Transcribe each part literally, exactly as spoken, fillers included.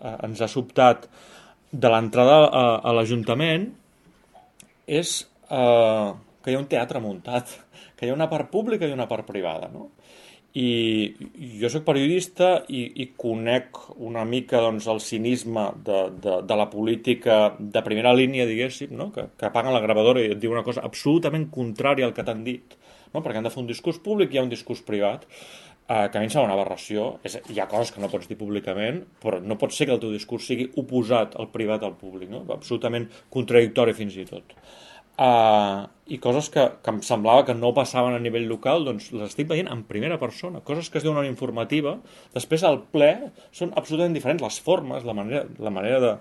eh, ens ha sobtat de l'entrada a, a l'Ajuntament és eh, que hi ha un teatre muntat, que hi ha una part pública i una part privada, no? I jo sóc periodista i, i conec una mica doncs, el cinisme de, de, de la política de primera línia, diguéssim, no? que, que apaguen la gravadora i et diu una cosa absolutament contrària al que t'han dit, no? Perquè han de fer un discurs públic i hi ha un discurs privat, eh, que a mi em sembla una aberració. És, hi ha coses que no pots dir públicament, però no pot ser que el teu discurs sigui oposat al privat al públic, no? Absolutament contradictori fins i tot. Uh, i coses que, que em semblava que no passaven a nivell local, doncs les estic veient en primera persona, coses que es diuen en informativa, després al ple són absolutament diferents, les formes, la manera, la manera de,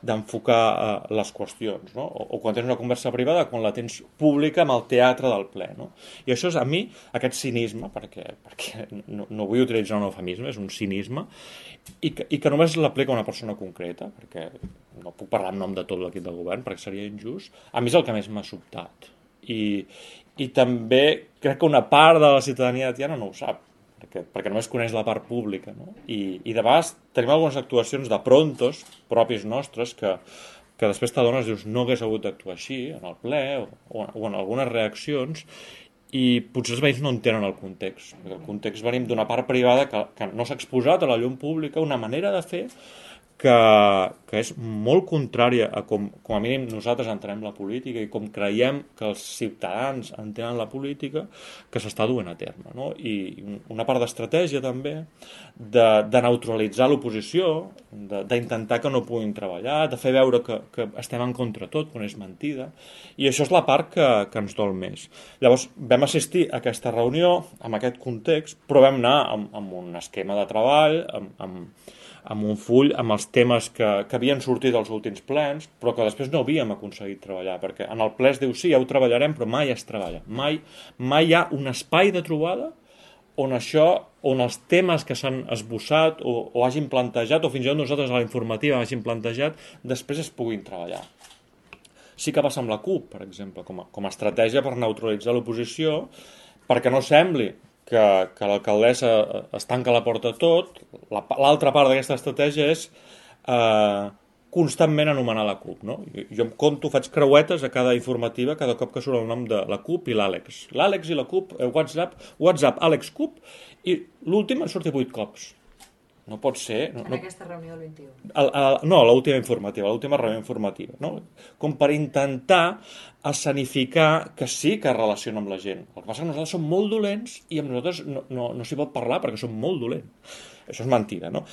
d'enfocar uh, les qüestions, no? O, o quan tens una conversa privada, quan la tens pública amb el teatre del ple, no? I això és a mi, aquest cinisme, perquè, perquè no, no vull utilitzar un eufemisme, és un cinisme, i que, i que només l'aplica una persona concreta, perquè no puc parlar en nom de tot l'equip del govern, perquè seria injust, a mi és el que més m'ha sobtat. I, i també crec que una part de la ciutadania de Tiana no ho sap, perquè, perquè només coneix la part pública, no? I, i de vegades tenim algunes actuacions de prontos propis nostres que, que després t'adones, dius, no hagués hagut d'actuar així en el ple o, o, o en algunes reaccions, i potser els veïns no entenen el context, perquè el context venim d'una part privada que, que no s'ha exposat a la llum pública, una manera de fer que, que és molt contrària a com, com a mínim nosaltres entenem la política i com creiem que els ciutadans entenen la política que s'està duent a terme, no? I una part d'estratègia també de, de neutralitzar l'oposició, d'intentar que no puguin treballar, de fer veure que, que estem en contra tot quan és mentida, i això és la part que, que ens dol més. Llavors vam assistir a aquesta reunió amb aquest context, però vam anar amb, amb un esquema de treball, amb, amb amb un full amb els temes que, que havien sortit als últims plens, però que després no havíem aconseguit treballar, perquè en el ple es diu sí, ja ho treballarem, però mai es treballa. Mai, mai hi ha un espai de trobada on això, on els temes que s'han esbossat o, o hagin plantejat, o fins i tot nosaltres a la informativa hagin plantejat, després es puguin treballar. Sí que passa amb la CUP, per exemple, com a, com a estratègia per neutralitzar l'oposició, perquè no sembli que, que l'alcaldessa es tanca la porta a tot. L'altra part d'aquesta estratègia és eh, constantment anomenar la CUP, no? Jo em conto, faig creuetes a cada informativa cada cop que surt el nom de la CUP i l'Àlex. L'Àlex i la CUP, eh, WhatsApp, WhatsApp, Àlex CUP, i l'últim en surti vuit cops. No pot ser... No, en no, aquesta reunió el vint-i-u. El, el, no, l'última informativa, l'última reunió informativa, no? Com per intentar escenificar que sí que es relaciona amb la gent. El que passa és que nosaltres som molt dolents i amb nosaltres no, no, no s'hi pot parlar perquè som molt dolents. Això és mentida, no?